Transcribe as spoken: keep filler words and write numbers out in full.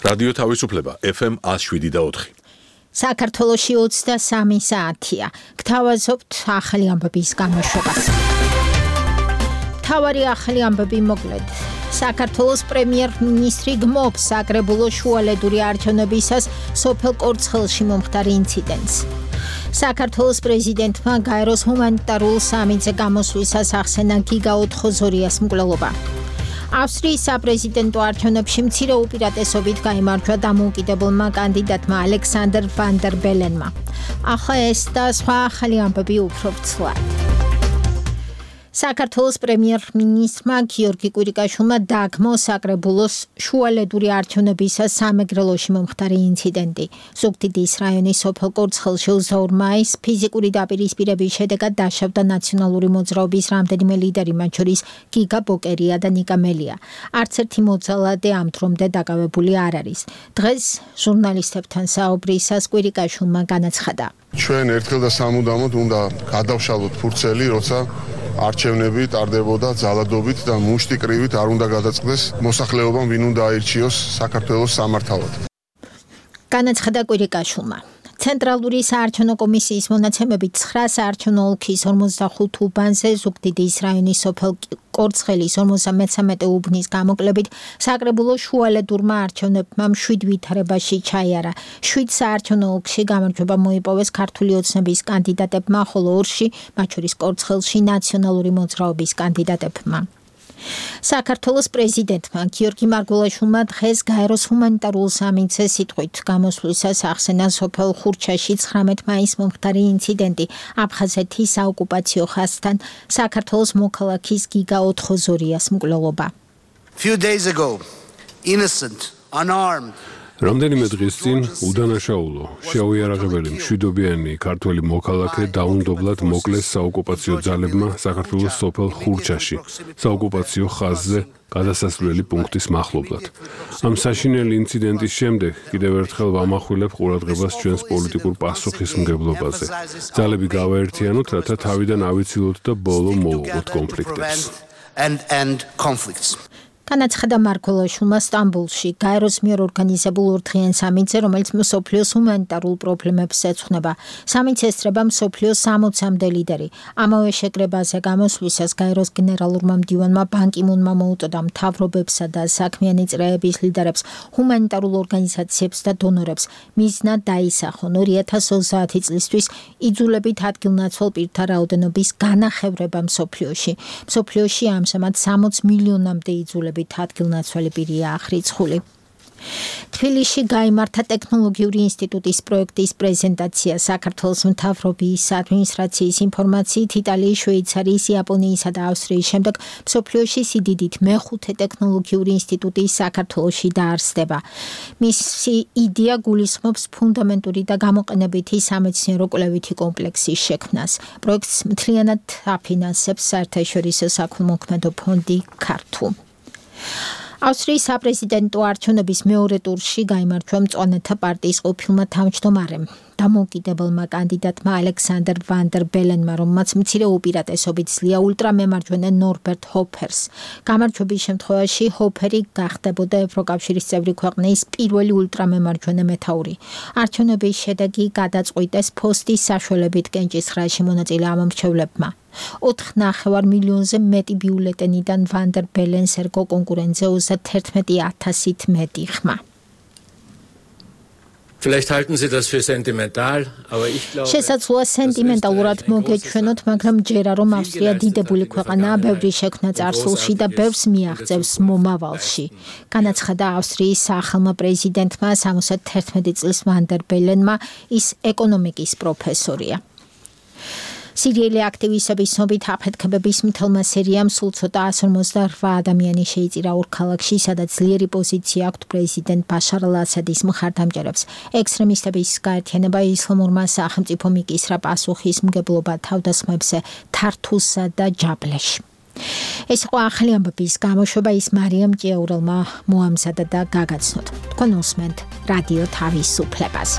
რადიო თავისუფლება ეფ ემ one oh seven და four. საქართველოში ოცდასამი საათია. გთავაზობთ ახალი ამბების გამოშვებას. თავარი ახალი ამბები მოკლედ. საქართველოს პრემიერ-მინისტრი გმობს საკრებულოს შუალედური არჩევნებისას სოფელ კორცხელში მომხდარ ინციდენტს. საქართველოს პრეზიდენტმა გაეროს ჰუმანიტარულ სამიტზე გამოსვლისას ახსენა გიგა ოთხოზორიას მკვლელობა. ავსტრიის საპრეზიდენტო არჩევნებში მცირე უპირატესობით გაიმარჯვა დამოუკიდებელმა კანდიდატმა ალექსანდრ ვან დერ ბელენმა. ახლა ეს და სხვა ახალი ამბები უფრო ვრცლად. საქართველოს პრემიერ-მინისტრმა გიორგი კვირიკაშვილმა დაგმო საკრებულოს შუალედური არჩევნებისას სამეგრელოში მომხდარი ინციდენტი. ზუგდიდის რაიონის სოფელ კორცხელში ოცდაორ მაისს ფიზიკური დაპირისპირების შედეგად დაშავდა ნაციონალური მოძრაობის რამდენიმე ლიდერი, მათ შორის გიგა ბოკერია და ნიკა მელია. არც ერთი მოძალადე ამ დრომდე დაკავებული არ არის. დღეს ჟურნალისტებთან საუბრისას კვირიკაშვილმა განაცხადა. ჩვენ ერთხელ და სამუდამოდ უნდა გადავშალოთ ფურცელი, როცა არჩევნები ტარდებოდა ძალადობით და მუშტი კრივით არ უნდა გადაწყდეს მოსახლეობამ, ვინ უნდა აირჩიოს საქართველოს სამართავად. განაცხადა კვირიკაშვილმა. ცენტრალური საარჩევნო კომისიის მონაცემებით ცხრა საარჩევნო ოლქის ორმოცდახუთ უბანზე ზუგდიდის რაიონის სოფელ კორცხელის ორმოცდამეცამეტე უბნის გამოკლებით საკრებულოს შუალედურმა არჩევნებმა შვიდ ვითარებაში ჩაიარა. შვიდ საარჩევნო ოლქში გამარჯვება მოიპოვეს ქართული ოცნების კანდიდატებმა, ხოლო ორში, მათ შორის კორცხელში ნაციონალური მოძრაობის კანდიდატებმა. საქართველოს პრეზიდენტმა გიორგი მარგველაშვილმა დღეს გაეროს ჰუმანიტარულ სამიტზე სიტყვით გამოსვლისას ახსენა სოფელ ხურჩაში ცხრამეტ მაისს მომხდარი ინციდენტი აფხაზეთის საოკუპაციო ხაზთან საქართველოს მოქალაქის გიგა ოთხოზორიას მკვლელობა. Few days ago, innocent, unarmed რამდენიმე დღის წინ უდანაშაულო, შეუიარაღებელი მშვიდობიანი ქართველი მოქალაქე დაუნდობლად მოკლეს საოკუპაციო ძალებმა საქართველოს სოფელ ხურჩაში, საოკუპაციო ხაზზე გადასასვლელი პუნქტის მახლობლად. ამ საშინელი ინციდენტის შემდეგ კიდევ ერთხელ ვამახვილებ ყურადღებას ჩვენს პოლიტიკურ პასუხისმგებლობაზე. ძალები გავაერთიანოთ, რათა თავიდან ავიცილოთ და ბოლო მოვუყოთ კონფლიქტებს. and and conflicts. განაცხადა მარგველაშვილმა სტამბოლში გაეროს მიერ ორგანიზებულ ორდღიან სამიტზე, რომელიც მსოფლიოს ჰუმანიტარულ პრობლემებს ეძღვნება. სამიტს ესწრება მსოფლიოს სამოცამდე ლიდერი. ამავე შეკრებაზე გამოსვლისას გაეროს გენერალურმა მდივანმა ბან კი მუნმა მოუწოდა მთავრობებსა და საქმიანი წრეების ლიდერებს, ჰუმანიტარულ ორგანიზაციებს და დონორებს მიზნად დაისახონ ორი ათას ოცდაათი წლისთვის იძულებით ადგილნაცვალ პირთა რაოდენობის განახევრება მსოფლიოში. მსოფლიოში ამჟამად სამოც მილიონამდე იძულებით ადგილნაცვალი პირია ახრიცხული. თბილისში გაიმართა ტექნოლოგიური ინსტიტუტის პროექტის პრეზენტაცია. საქართველოს მთავრობის ადმინისტრაციის ინფორმაციით იტალიის, შვეიცარიის, იაპონიისა და ავსტრიის შემდეგ მსოფლიოში სიდიდით მეხუთე ტექნოლოგიური ინსტიტუტი საქართველოში დაარსდება. მისი იდეა გულისხმობს ფუნდამენტური და გამოყენებითი სამეცნიერო კვლევითი კომპლექსის შექმნას. პროექტს მთლიანად აფინანსებს საერთაშორისო საქველმოქმედო ფონდი ქართუ. ავსტრიის საპრეზიდენტო არჩევნების მეორე ტურში გაიმარჯვა მწვანეთა პარტიის ყოფილმა თავმჯდომარემ, დამოუკიდებელმა კანდიდატმა ალექსანდრ ვან დერ ბელენმა, რომელმაც მცირე უპირატესობით ძლია ულტრამემარჯვენე ნორბერტ ჰოფერს. გამარჯვების შემთხვევაში ჰოფერი გახდებოდა ევროკავშირის წევრი ქვეყნის პირველი ულტრამემარჯვენე მეთაური. არჩევნების შედეგი გადაწყვიტეს ფოსტის საშუალებით კენჭისყრაში მონაწილე ამომრჩევლებმა. ოთხ ნახევარ მილიონზე მეტი ბიულეტენიდან ვან დერ ბელენს ერგო კონკურენტზე ოცდაათერთმეტი ათასით მეტი ხმა. Vielleicht halten Sie das für sentimental, aber ich glaube შესაძლოა სენტიმენტალურად მოგეჩვენოთ, მაგრამ ჯერა რომ ავსტრია დიდებული ქვეყანაა, ბევრი შექმნა წარსულში და ბევრს მიაღწევს მომავალში. განაცხადა ავსტრიის სახელმწიფო პრეზიდენტმა სამოცდათერთმეტი წლის ვან დერ ბელენმა, ის ეკონომიკის პროფესორია. სირიელი აქტივისტების ცნობით აფეთქებების მთელმა სერიამ სულ ცოტა εκατს ორმოცდაოთხ ადამიანი შეიწირა ორ ქალაქში, სადაც ძლიერი პოზიცია აქვთ პრეზიდენტ ბაშარ ალ-ასადის მხარდამჭერებს. ექსტრემისტების გაერთიანება ისლამურმა სახელმწიფომ იკისრა პასუხისმგებლობა თავდასხმებზე თართუსსა და ჯაბლეში. ეს იყო ახალი ამბების გამოშვება, ის მარიამ ჭიაურელმა მოამზადა და გაგაცნოთ. თქვენ უსმენთ რადიო თავისუფლებას.